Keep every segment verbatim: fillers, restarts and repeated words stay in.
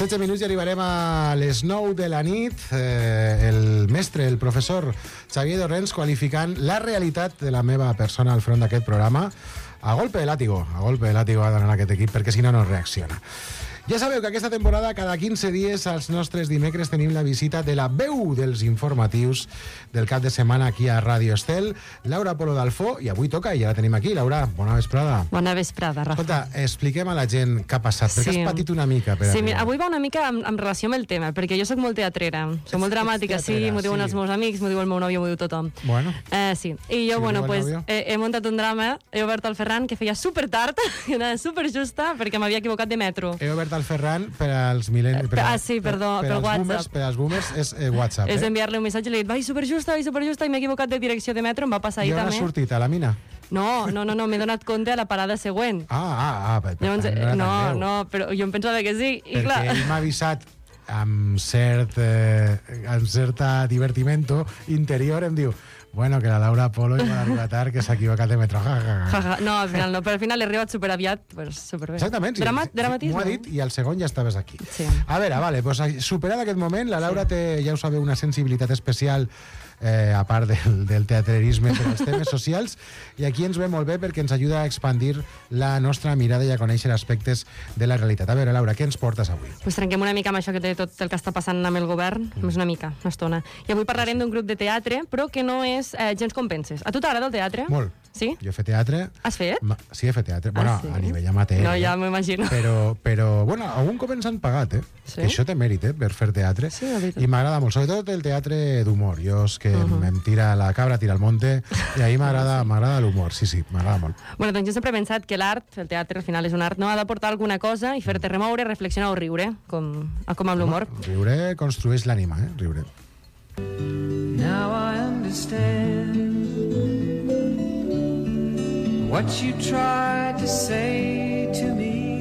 setze minuts i arribarem a les nou de la nit. Eh, el mestre, el professor Xavier Dorrens, qualificant la realitat de la meva persona al front d'aquest programa a golpe de látigo. A golpe de látigo ha d'anar aquest equip, perquè si no, no reacciona. Ja sabeu que aquesta temporada, cada quinze dies, als nostres dimecres, tenim la visita de la veu dels informatius del cap de setmana aquí a Ràdio Estel, Laura Polo d'Alfó, i avui toca, i ja la tenim aquí. Laura, bona vesprada. Bona vesprada, Rafa. Escolta, expliquem a la gent què ha passat, perquè Sí. has patit una mica. Per Sí, arribar. mira, avui va una mica en, en relació amb el tema, perquè jo sóc molt teatrera, soc molt dramàtica, ets sí, teatrera, m'ho diuen sí. els meus amics, m'ho diu el meu nòvio, m'ho diu tothom. Bueno. Eh, sí, i jo, Si bueno, ho diu el pues, nòvio. he, he muntat un drama, he obert el Ferran, que feia super tard, que era super justa, perquè m'havia equivocat de metro. He obert el Ferran per als mil·lennis... Eh, ah, sí, perdó, per, pel als WhatsApp. Boomers, per als boomers és eh, WhatsApp. És eh? enviar-li un missatge i li he dit, vai, superjusta, vai, superjusta, i m'he equivocat de direcció de metro, em va passar I ahir on has també. sortit? A la mina? No, no, no, no m'he donat compte a la parada següent. Ah, ah, ah. Per, per Llavors, tant, eh, era tan no, greu. no, però jo em pensava que sí, i Perquè clar... ell m'ha avisat amb cert eh, amb certa divertimento interior, em diu, bueno, que la Laura Polo igual arriba tard, que s'ha equivocat de metro. Ja, ja, ja. Ja, ja. No, al final no, però al final he arribat superaviat, pues, superbé. Exactament, sí. Drama, Sí, dramatisme. m'ho ha dit i al segon ja estaves aquí. Sí. A veure, vale, pues, superat aquest moment, la Laura té, ja ho sabeu, una sensibilitat especial, eh, a part del, del teatrerisme per als temes socials, i aquí ens ve molt bé perquè ens ajuda a expandir la nostra mirada i a conèixer aspectes de la realitat. A veure, Laura, què ens portes avui? Pues trenquem una mica amb això que té tot el que està passant amb el govern, mm. més una mica, una estona. I avui parlarem d'un grup de teatre, però que no és eh, gens com penses. A tu t'agrada el teatre? Molt. Sí? Jo he fet teatre. Has fet? Ma- Sí, he fet teatre. Ah, Bueno, sí? a nivell amateur. No, eh? ja m'ho imagino. Però, però, bueno, algun cop ens han pagat, eh? Sí? Que això té mèrit, eh? Per fer teatre. Sí, la veritat. I m'agrada molt, sobretot el teatre d'humor. Jo és que Uh uh-huh. -huh. em tira la cabra, tira al monte, i ahir m'agrada m'agrada l'humor. Sí, sí, m'agrada molt. Bueno, doncs jo sempre he pensat que l'art, el teatre al final és un art, no ha d'aportar alguna cosa i fer-te remoure, reflexionar o riure, com, com amb l'humor. Riure construeix l'ànima, eh? Riure. Now I understand what you tried to say to me,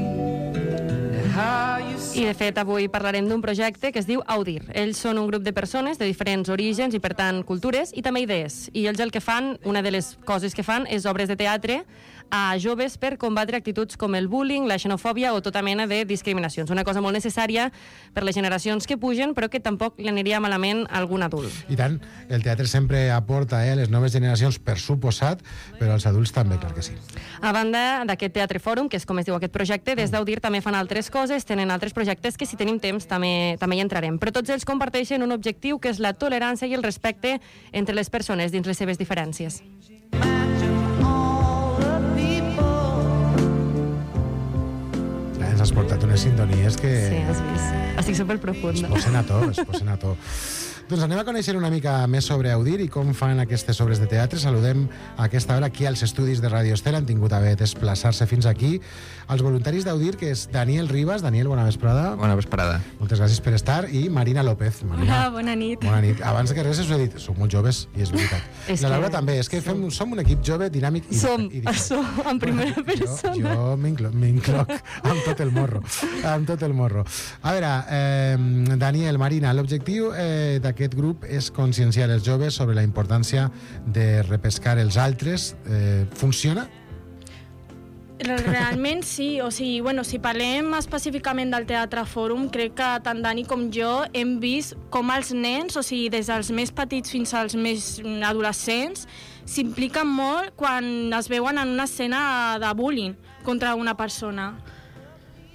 and how you I, de fet, avui parlarem d'un projecte que es diu Audir. Ells són un grup de persones de diferents orígens i, per tant, cultures i també idees. I ells el que fan, una de les coses que fan, és obres de teatre a joves per combatre actituds com el bullying, la xenofòbia o tota mena de discriminacions. Una cosa molt necessària per les generacions que pugen, però que tampoc li aniria malament a algun adult. I tant, el teatre sempre aporta eh, les noves generacions, per suposat, però els adults també, clar que sí. A banda d'aquest Teatre Fòrum, que és com es diu aquest projecte, des d'Audir també fan altres coses, tenen altres projectes que, si tenim temps, també, també hi entrarem. Però tots ells comparteixen un objectiu, que és la tolerància i el respecte entre les persones dins les seves diferències. Ja ens has portat unes sintonies que... Sí, has vist. Estic es superprofunda. posen a to, es posen a to. Doncs anem a conèixer una mica més sobre Audir i com fan aquestes obres de teatre. Saludem a aquesta hora aquí als estudis de Ràdio Estel. Han tingut a bé desplaçar-se fins aquí els voluntaris d'Audir, que és Daniel Ribas. Daniel, bona vesprada. Bona vesprada. Moltes gràcies per estar. I Marina López. Marina, Hola, bona nit. bona nit. Abans que res us he dit, sou molt joves i és veritat. És I la que Laura també. És que fem, som un equip jove, dinàmic i, Som, i diferent. som en primera persona. Jo, jo m'inclo- m'incloc amb tot el morro. Amb tot el morro. A veure, eh, Daniel, Marina, l'objectiu eh, d'aquest grup és conscienciar els joves sobre la importància de repescar els altres. Eh, funciona? Realment sí, o sigui, bueno, si parlem específicament del Teatre Fòrum, crec que tant Dani com jo hem vist com els nens, o sigui, des dels més petits fins als més adolescents, s'impliquen molt quan es veuen en una escena de bullying contra una persona.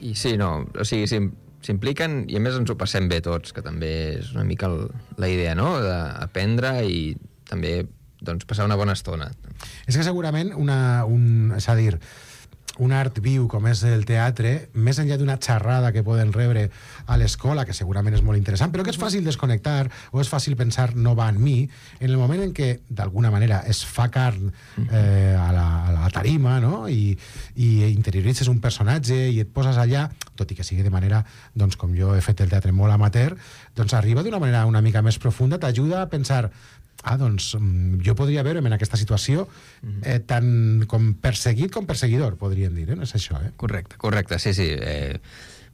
I sí, no, o sigui, s'im- s'impliquen i a més ens ho passem bé tots, que també és una mica el, la idea, no?, d'aprendre i també doncs, passar una bona estona. És que segurament una, un, és a dir, un art viu com és el teatre, més enllà d'una xerrada que poden rebre a l'escola, que segurament és molt interessant, però que és fàcil desconnectar o és fàcil pensar no va en mi, en el moment en què d'alguna manera es fa carn eh, a, la, a la tarima, no?, i, i interioritzes un personatge i et poses allà, tot i que sigui de manera, doncs com jo he fet el teatre molt amateur, doncs arriba d'una manera una mica més profunda, t'ajuda a pensar ah, doncs mm, jo podria veure'm en aquesta situació eh, tant com perseguit com perseguidor, podríem dir, eh? No és això, eh? Correcte, correcte, sí, sí. Eh,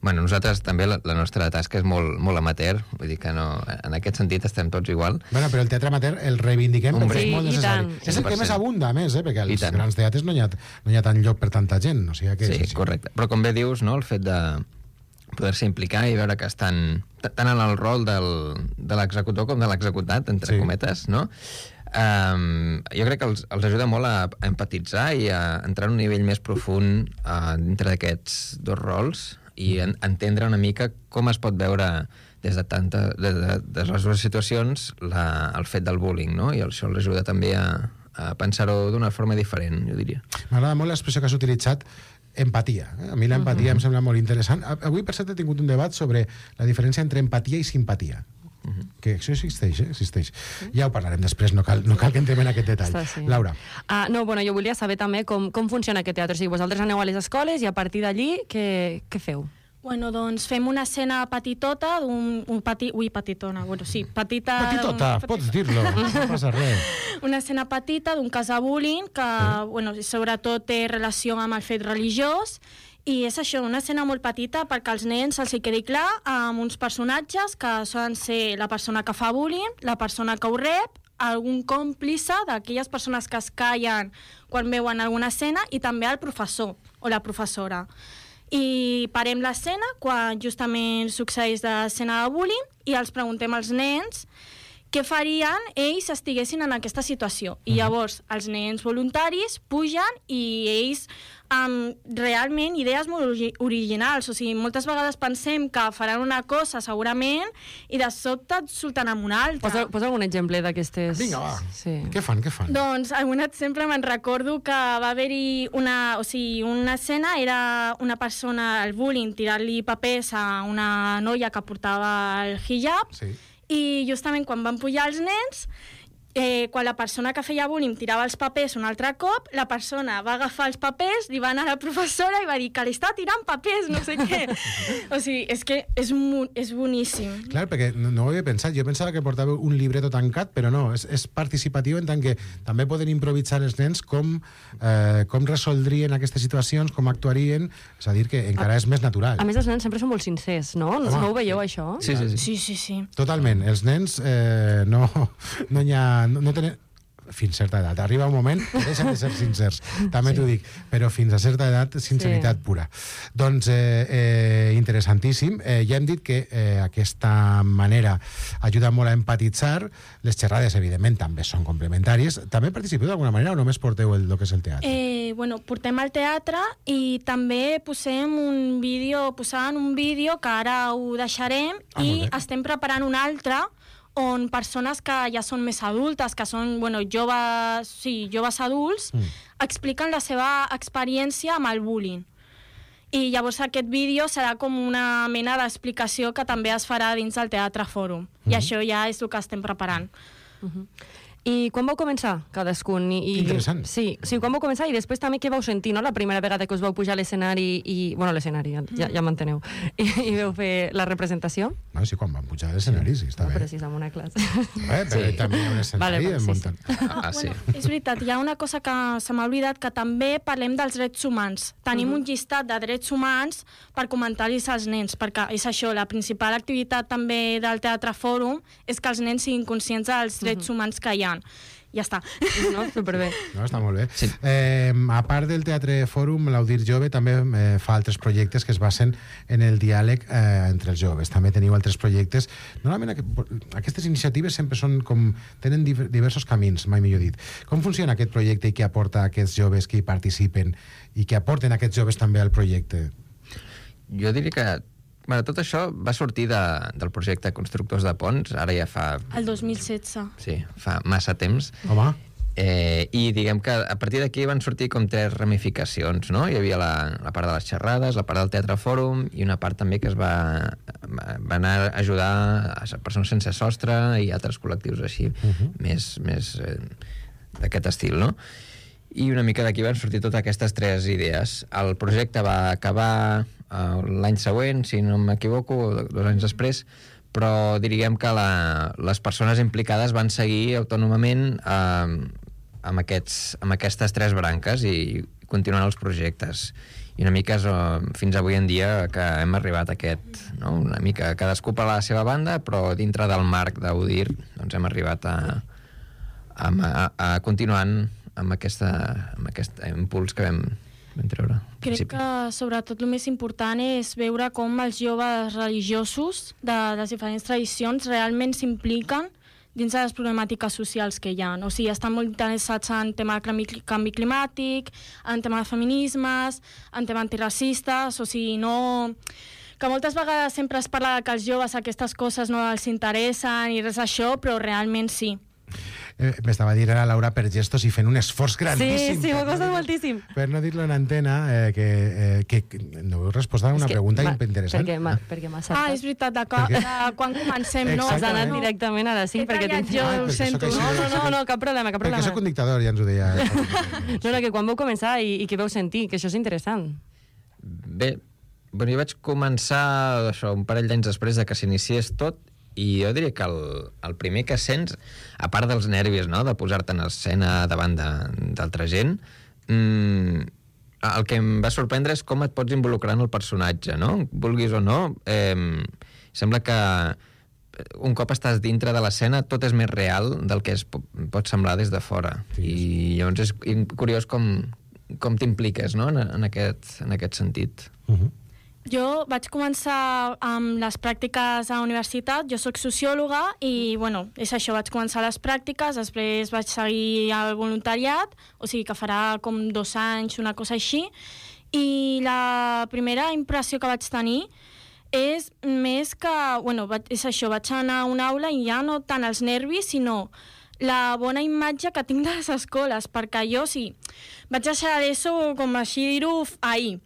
bueno, nosaltres també la, la nostra tasca és molt, molt amateur, vull dir que no, en aquest sentit estem tots igual. Bueno, però el teatre amateur el reivindiquem Hombre, perquè és molt i necessari. tant. És el que cent per cent. més abunda, a més, eh? Perquè I als tant. grans teatres no hi ha, no hi ha tant lloc per tanta gent, o sigui que Sí, és així. correcte. Però com bé dius, no, el fet de poder-se implicar i veure que estan tant en el rol del, de l'executor com de l'executat, entre Sí. cometes, no? Um, jo crec que els, els ajuda molt a, a empatitzar i a entrar en un nivell més profund uh, dintre d'aquests dos rols i en, entendre una mica com es pot veure des de, tanta, des de, des de les dues situacions la, el fet del bullying, no? I això els ajuda també a, a pensar-ho d'una forma diferent, jo diria. M'agrada molt l'expressió que has utilitzat, empatia. Eh? A mi l'empatia uh -huh. em sembla molt interessant. Avui, per cert, he tingut un debat sobre la diferència entre empatia i simpatia. Uh -huh. Que això existeix, eh? existeix. Uh -huh. Ja ho parlarem després, no cal, no cal que entrem en aquest detall. Està, sí. Laura. Uh, no, bueno, jo volia saber també com, com funciona aquest teatre. O sigui, vosaltres aneu a les escoles i a partir d'allí què, què feu? Bueno, doncs fem una escena petitota d'un... Un peti, ui, petitona, bueno, sí, petita... Petitota, d'un- pots dir-lo, no passa res. Una escena petita d'un cas de bullying que, Sí. bueno, sobretot té relació amb el fet religiós, i és això, una escena molt petita perquè als nens se'ls hi quedi clar, amb uns personatges que solen ser la persona que fa bullying, la persona que ho rep, algun còmplice d'aquelles persones que es callen quan veuen alguna escena, i també el professor o la professora. I parem l'escena quan justament succeeix l'escena de bullying i els preguntem als nens què farien ells si estiguessin en aquesta situació. I llavors els nens voluntaris pugen i ells amb realment idees molt ori- originals. O sigui, moltes vegades pensem que faran una cosa segurament i de sobte et surten amb una altra. Posa, posa algun exemple d'aquestes... Vinga, va. Sí. Què fan, què fan? Doncs algun exemple me'n recordo que va haver-hi una, o sigui, una escena, era una persona, el bullying, tirant-li papers a una noia que portava el hijab, Sí. i justament quan van pujar els nens, eh, quan la persona que feia bullying tirava els papers un altre cop, la persona va agafar els papers, li va anar a la professora i va dir que li està tirant papers, no sé què. O sigui, és que és, mu- és boníssim. Clar, perquè no, no ho havia pensat. Jo pensava que portava un libreto tancat, però no, és, és participatiu en tant que també poden improvisar els nens com, eh, com resoldrien aquestes situacions, com actuarien, és a dir, que encara és més natural. A més, els nens sempre són molt sincers, no? No, Home, no ho veieu, això? Sí, sí, sí. Sí, sí, sí. Totalment. Els nens eh, no, no hi ha... No, no tenen fins a certa edat. Arriba un moment que deixen de ser sincers, també sí. t'ho dic, però fins a certa edat, sinceritat Sí. pura. Doncs, eh, eh, interessantíssim. Eh, ja hem dit que eh, aquesta manera ajuda molt a empatitzar. Les xerrades, evidentment, també són complementàries. També participeu d'alguna manera o només porteu el, el que és el teatre? Eh, bueno, portem al teatre i també posem un vídeo, posàvem un vídeo que ara ho deixarem Ah, i molt bé. estem preparant un altre on persones que ja són més adultes, que són, bueno, joves, sí, joves adults, Mm. expliquen la seva experiència amb el bullying. I llavors aquest vídeo serà com una mena d'explicació que també es farà dins del Teatre Fòrum. I això ja és el que estem preparant. I quan vau començar, cadascun? I, i, Interessant. Sí, sí, quan vau començar i després també què vau sentir, no? La primera vegada que us vau pujar a l'escenari i... Bueno, a l'escenari, ja, ja m'enteneu. I, I vau fer la representació? No, sí, quan van pujar a l'escenari, sí, està No, bé. però si és en una classe. Eh, però Sí. també hi ha un escenari Vale, vale, en sí, muntant. Ah, sí. Bueno, és veritat, hi ha una cosa que se m'ha oblidat, que també parlem dels drets humans. Tenim uh -huh. un llistat de drets humans per comentar-los als nens, perquè és això, la principal activitat també del Teatre Fòrum és que els nens siguin conscients dels drets uh -huh. humans que hi ha. Ja està. No? Superbé. No, està molt bé. Sí. Eh, a part del Teatre Fòrum, l'Audir Jove també eh, fa altres projectes que es basen en el diàleg eh, entre els joves. També teniu altres projectes. Normalment aqu aquestes iniciatives sempre són com... tenen div diversos camins, mai millor dit. Com funciona aquest projecte i què aporta a aquests joves que hi participen i què aporten aquests joves també al projecte? Jo diria que bueno, tot això va sortir de, del projecte Constructors de Ponts, ara ja fa... El dos mil setze. Sí, fa massa temps. Home, Eh, I diguem que a partir d'aquí van sortir com tres ramificacions, no? Hi havia la, la part de les xerrades, la part del Teatre Fòrum i una part també que es va, va anar a ajudar a persones sense sostre i altres col·lectius així, uh -huh. més, més eh, d'aquest estil, no? I una mica d'aquí van sortir totes aquestes tres idees. El projecte va acabar eh, l'any següent, si no m'equivoco, dos anys després, però diríem que la, les persones implicades van seguir autònomament eh, amb, aquests, amb aquestes tres branques i continuant els projectes. I una mica és, eh, fins avui en dia que hem arribat a aquest, no? Una mica cadascú per la seva banda, però dintre del marc d'Audir doncs hem arribat a, a, a, a continuant amb, aquesta, amb aquest impuls que vam vam treure. Crec que, sobretot, el més important és veure com els joves religiosos de les diferents tradicions realment s'impliquen dins de les problemàtiques socials que hi ha. O sigui, estan molt interessats en tema de canvi, canvi climàtic, en tema de feminismes, en tema antiracistes, o sigui, no... que moltes vegades sempre es parla que els joves aquestes coses no els interessen i res d'això, però realment sí. Eh, M'estava dient ara Laura per gestos i fent un esforç grandíssim. Sí, sí, m'ho per costa no dir- moltíssim. Per no dir-lo en antena, eh, que, eh, que no heu respost a una És que pregunta m'ha- interessant. Perquè m'ha perquè m'ha Ah, saltat. és veritat, de, ca- Perquè- de quan comencem, no? Has Exactament. anat directament ara sí, He perquè... tallat tinc- jo, Ah, ho perquè sento. sóc així. No, no, no, no, cap problema, cap Perquè problema. sóc un dictador, ja ens ho deia. No, no, que quan vau començar i, i que vau sentir, que això és interessant. Bé, bueno, jo vaig començar això, un parell d'anys després de que s'iniciés tot, i jo diria que el, el primer que sents, a part dels nervis, no?, de posar-te en escena davant d'altra gent, mmm, el que em va sorprendre és com et pots involucrar en el personatge, no? Vulguis o no, eh, sembla que un cop estàs dintre de l'escena tot és més real del que es po- pot semblar des de fora. Sí, I llavors és curiós com, com t'impliques, no?, en, en, aquest, en aquest sentit. Uh -huh. Jo vaig començar amb les pràctiques a la universitat, jo sóc sociòloga i, bueno, és això, vaig començar les pràctiques, després vaig seguir el voluntariat, o sigui que farà com dos anys, una cosa així, i la primera impressió que vaig tenir és més que, bueno, vaig, és això, vaig anar a una aula i ja no tant els nervis, sinó la bona imatge que tinc de les escoles, perquè jo, sí, vaig deixar l'ESO, com així dir-ho, ahir.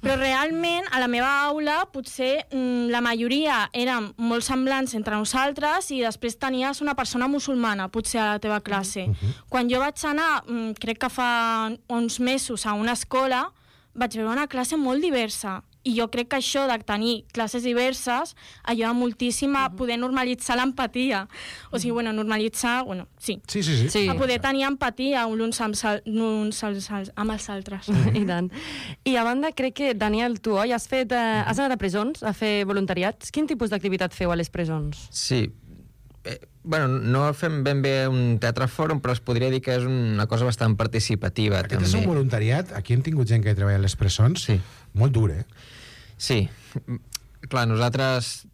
Però realment, a la meva aula, potser mm, la majoria eren molt semblants entre nosaltres i després tenies una persona musulmana, potser a la teva classe. Uh-huh. Quan jo vaig anar, mm, crec que fa uns mesos, a una escola, vaig veure una classe molt diversa. I jo crec que això de tenir classes diverses ajuda moltíssim a poder normalitzar l'empatia. O sigui, bueno, normalitzar, bueno, sí. Sí, sí, sí. Sí. A poder tenir empatia uns amb, sal, uns als, als, amb els altres. I tant. I a banda, crec que, Daniel, tu, oi, has, fet, eh, has anat a presons a fer voluntariats? Quin tipus d'activitat feu a les presons? Sí. Eh, bueno, no fem ben bé un teatre fòrum, però es podria dir que és una cosa bastant participativa, Aquest també. és un voluntariat. Aquí hem tingut gent que treballa a les presons. Sí. Molt dur, eh? Sí. Clar, nosaltres...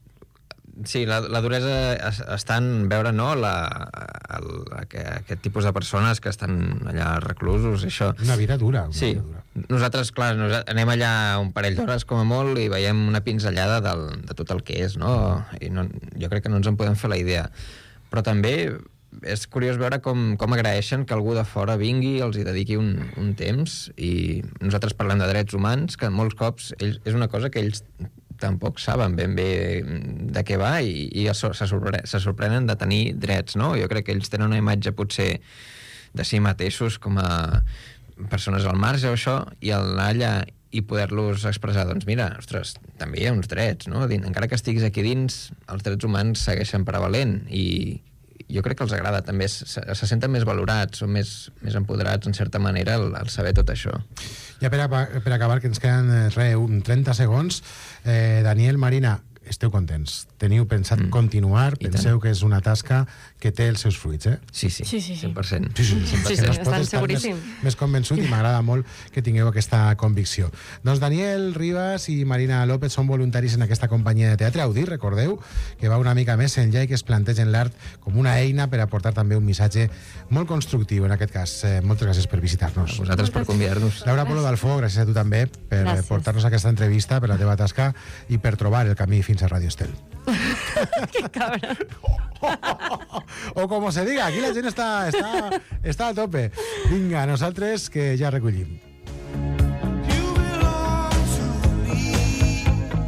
Sí, la, la duresa es- està en veure, no?, la, el, aquest, aquest tipus de persones que estan allà reclusos, i això. Una vida dura. Una Sí, vida dura. nosaltres, clar, nos, anem allà un parell d'hores com a molt i veiem una pinzellada del, de tot el que és, no? I no, jo crec que no ens en podem fer la idea. Però també és curiós veure com, com agraeixen que algú de fora vingui, els hi dediqui un, un temps, i nosaltres parlem de drets humans, que molts cops ells, és una cosa que ells tampoc saben ben bé de què va i, i se, sorpre se sorprenen de tenir drets, no? Jo crec que ells tenen una imatge potser de si mateixos com a persones al marge o això, i al anar allà i poder-los expressar, doncs mira, ostres, també hi ha uns drets, no? Encara que estiguis aquí dins, els drets humans segueixen prevalent, i jo crec que els agrada també, se, se senten més valorats, són més, més empoderats en certa manera al, al saber tot això. Ja per, a, per acabar, que ens queden eh, re, un trenta segons, eh, Daniel, Marina, esteu contents? Teniu pensat mm. continuar? I Penseu tant. que és una tasca que té els seus fruits, eh? Sí, sí, Sí, sí, sí. cent per cent. Sí, sí, Sí, sí, que no es pot estan estar més, seguríssim. més convençut, i m'agrada molt que tingueu aquesta convicció. Doncs Daniel Ribas i Marina López són voluntaris en aquesta companyia de teatre Audir, recordeu, que va una mica més enllà i que es plantegen l'art com una eina per aportar també un missatge molt constructiu, en aquest cas. Eh, moltes gràcies per visitar-nos. A vosaltres per convidar-nos. Laura Polo Dalfó, gràcies a tu també per Gràcies. portar-nos aquesta entrevista, per la teva tasca i per trobar el camí fins a Radio Estel. Que cabra. O com se diga, aquí la gent està, està, està a tope. Vinga, nosaltres que ja recollim.